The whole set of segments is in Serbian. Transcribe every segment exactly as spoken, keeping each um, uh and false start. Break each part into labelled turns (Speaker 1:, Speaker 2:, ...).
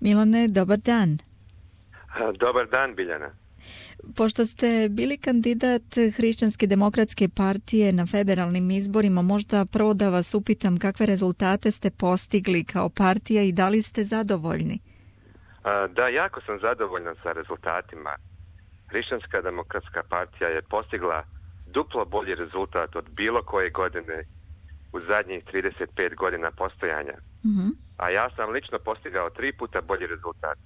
Speaker 1: Milane, dobar dan.
Speaker 2: Dobar dan, Biljana.
Speaker 1: Pošto ste bili kandidat Hrišćanske demokratske partije na federalnim izborima, možda prvo da vas upitam kakve rezultate ste postigli kao partija i da li ste zadovoljni?
Speaker 2: Da, jako sam zadovoljan sa rezultatima. Hrišćanska demokratska partija je postigla duplo bolji rezultat od bilo koje godine u zadnjih trideset pet godina postojanja.
Speaker 1: Mm-hmm.
Speaker 2: A ja sam lično postigao tri puta bolji rezultat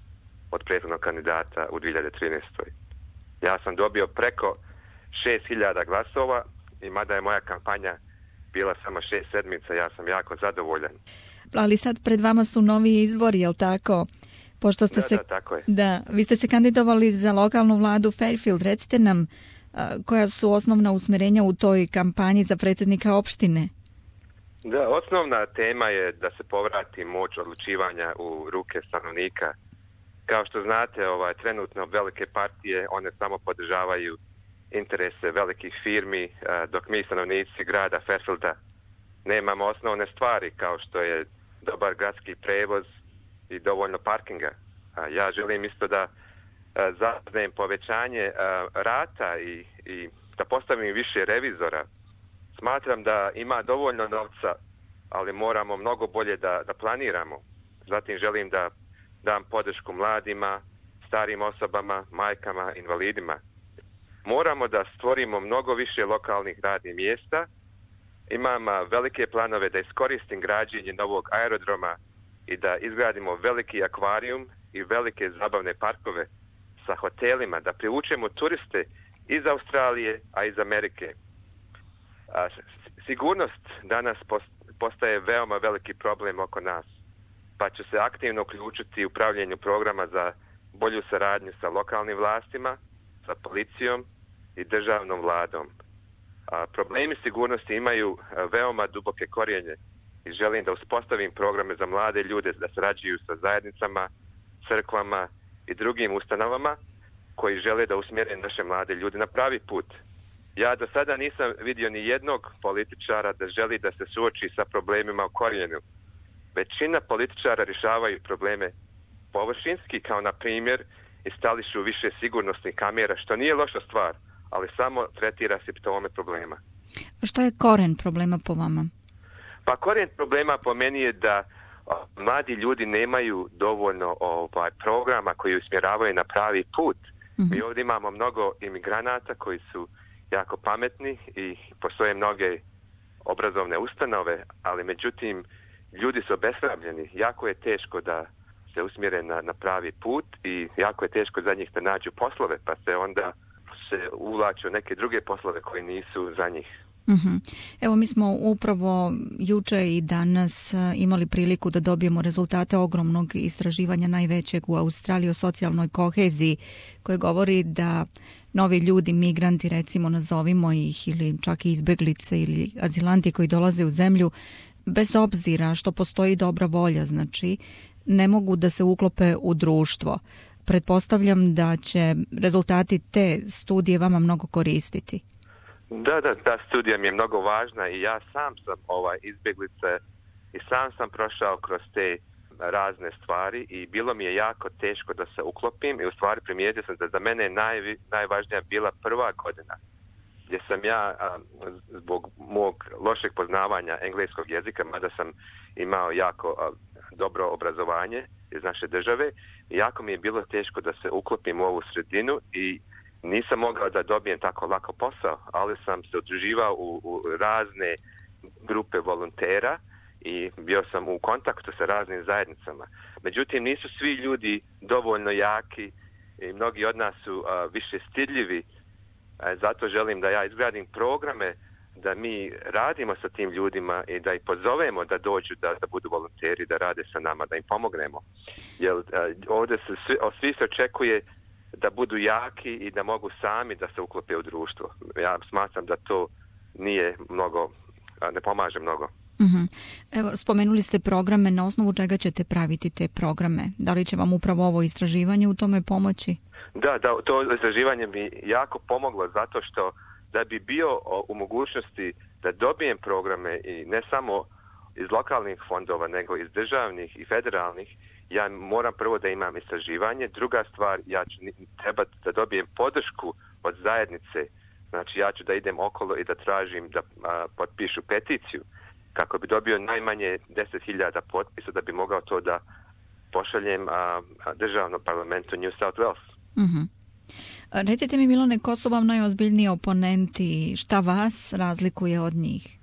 Speaker 2: od prethodnog kandidata u dvije hiljade trinaestoj. Ja sam dobio preko šest hiljada glasova i mada je moja kampanja bila samo šest sedmica, ja sam jako zadovoljan.
Speaker 1: Ali sad pred vama su novi izbori, jel tako? Pošto ste
Speaker 2: da,
Speaker 1: se,
Speaker 2: da, tako je.
Speaker 1: Da, vi ste se kandidovali za lokalnu vladu Fairfield. Recite nam a, koja su osnovna usmjerenja u toj kampanji za predsjednika opštine?
Speaker 2: Da, osnovna tema je da se povrati moć odlučivanja u ruke stanovnika. Kao što znate, ovaj, trenutno velike partije, one samo podržavaju interese velikih firmi, dok mi stanovnici grada Fairfielda nemamo osnovne stvari kao što je dobar gradski prevoz i dovoljno parkinga. Ja želim isto da zauzmem povećanje rata i, i da postavim više revizora. Smatram da ima dovoljno novca, ali moramo mnogo bolje da, da planiramo. Zatim želim da dam podršku mladima, starim osobama, majkama, invalidima. Moramo da stvorimo mnogo više lokalnih radnih mjesta. Imam velike planove da iskoristim građenje novog aerodroma i da izgradimo veliki akvarijum i velike zabavne parkove sa hotelima, da privučemo turiste iz Australije, a iz Amerike. A, sigurnost danas postaje veoma veliki problem oko nas, pa ću se aktivno uključiti u upravljanju programa za bolju saradnju sa lokalnim vlastima, sa policijom i državnom vladom. A, problemi sigurnosti imaju veoma duboke korijenje i želim da uspostavim programe za mlade ljude da sarađuju sa zajednicama, crkvama i drugim ustanovama koji žele da usmjere naše mlade ljude na pravi put. Ja do sada nisam vidio ni jednog političara da želi da se suoči sa problemima u korijenu. Većina političara rješavaju probleme površinski, kao na primjer instališu više sigurnosnih kamera, što nije loša stvar, ali samo tretira simptome problema.
Speaker 1: A što je koren problema po vama?
Speaker 2: Pa koren problema po meni je da o, mladi ljudi nemaju dovoljno ovaj, programa koji usmjeravaju na pravi put. Mm-hmm. Mi ovdje imamo mnogo imigranata koji su jako pametni i postoje mnoge obrazovne ustanove, ali međutim ljudi su obeshrabljeni. Jako je teško da se usmjere na, na pravi put i jako je teško za njih da nađu poslove, pa se onda se uvlaču neke druge poslove koji nisu za njih.
Speaker 1: Mm-hmm. Evo, mi smo upravo juče i danas imali priliku da dobijemo rezultate ogromnog istraživanja, najvećeg u Australiji, o socijalnoj koheziji, koje govori da novi ljudi, migranti, recimo nazovimo ih, ili čak i izbeglice ili azilanti koji dolaze u zemlju, bez obzira što postoji dobra volja, znači ne mogu da se uklope u društvo. Pretpostavljam da će rezultati te studije vama mnogo koristiti.
Speaker 2: Da, da, ta studija mi je mnogo važna i ja sam sam ovaj izbjeglica i sam sam prošao kroz te razne stvari i bilo mi je jako teško da se uklopim i u stvari primijetio sam da za mene naj, najvažnija bila prva godina gdje sam ja a, zbog mog lošeg poznavanja engleskog jezika, mada sam imao jako a, dobro obrazovanje iz naše države, jako mi je bilo teško da se uklopim u ovu sredinu i nisam mogao da dobijem tako lako posao, ali sam se udruživao u, u razne grupe volontera i bio sam u kontaktu sa raznim zajednicama. Međutim, nisu svi ljudi dovoljno jaki i mnogi od nas su a, više stidljivi. A, zato želim da ja izgradim programe da mi radimo sa tim ljudima i da ih pozovemo da dođu da, da budu volonteri, da rade sa nama, da im pomognemo. Jer a, ovdje se svi, svi se očekuje da budu jaki i da mogu sami da se uklope u društvo. Ja smatram da to nije mnogo, ne pomaže mnogo.
Speaker 1: Uh-huh. Evo, spomenuli ste programe, na osnovu čega ćete praviti te programe? Da li će vam upravo ovo istraživanje u tome pomoći?
Speaker 2: Da, da, to istraživanje mi jako pomoglo zato što da bi bio u mogućnosti da dobijem programe i ne samo iz lokalnih fondova, nego iz državnih i federalnih, ja moram prvo da imam istraživanje. Druga stvar, ja ću treba da dobijem podršku od zajednice. Znači, ja ću da idem okolo i da tražim da a, potpišu peticiju kako bi dobio najmanje deset hiljada potpisa da bi mogao to da pošaljem a, a, državnom parlamentu New South Wales.
Speaker 1: Mm-hmm. Recite mi, Milane, ko su vam najozbiljniji oponenti? Šta vas razlikuje od njih?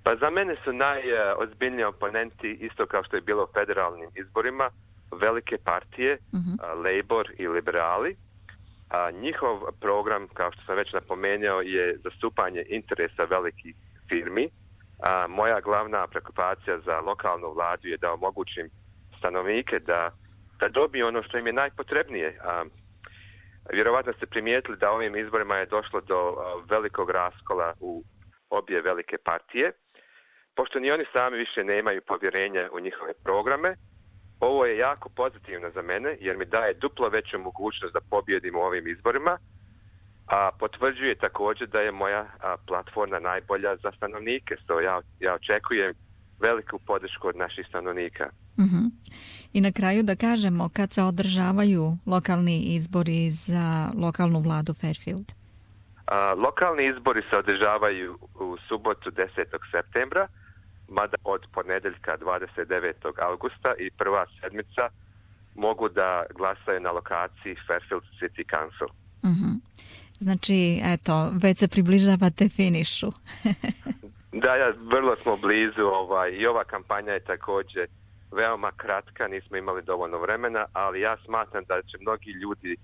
Speaker 2: Pa za mene su najozbiljniji oponenti, isto kao što je bilo u federalnim izborima, velike partije, uh-huh. a, Labour i liberali. A, njihov program, kao što sam već napomenuo, je zastupanje interesa velikih firmi. A, moja glavna preokupacija za lokalnu vladu je da omogućim stanovnike da, da dobiju ono što im je najpotrebnije. A, vjerovatno ste primijetili da ovim izborima je došlo do a, velikog raskola u obje velike partije. Pošto ni oni sami više nemaju povjerenja u njihove programe, ovo je jako pozitivno za mene jer mi daje duplo veću mogućnost da pobjedim u ovim izborima, a potvrđuje također da je moja a, platforma najbolja za stanovnike. So ja, ja očekujem veliku podršku od naših stanovnika.
Speaker 1: Uh-huh. I na kraju da kažemo, kad se održavaju lokalni izbori za lokalnu vladu Fairfield?
Speaker 2: A, lokalni izbori se održavaju u subotu desetog septembra, mada od ponedjeljka dvadeset devetog augusta i prva sedmica mogu da glasaju na lokaciji Fairfield City Council.
Speaker 1: Uh-huh. Znači, eto, već se približavate finišu.
Speaker 2: Da, ja, vrlo smo blizu ovaj, i ova kampanja je također veoma kratka, nismo imali dovoljno vremena, ali ja smatram da će mnogi ljudi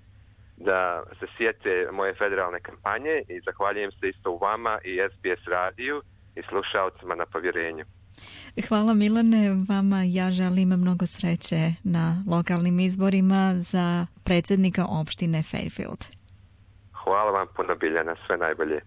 Speaker 2: da se sjete moje federalne kampanje i zahvaljujem se isto u vama i S B S radiju i slušalcima na povjerenju.
Speaker 1: Hvala, Milane, vama ja želim mnogo sreće na lokalnim izborima za predsjednika opštine Fairfield.
Speaker 2: Hvala vam puno, Biljana, sve najbolje.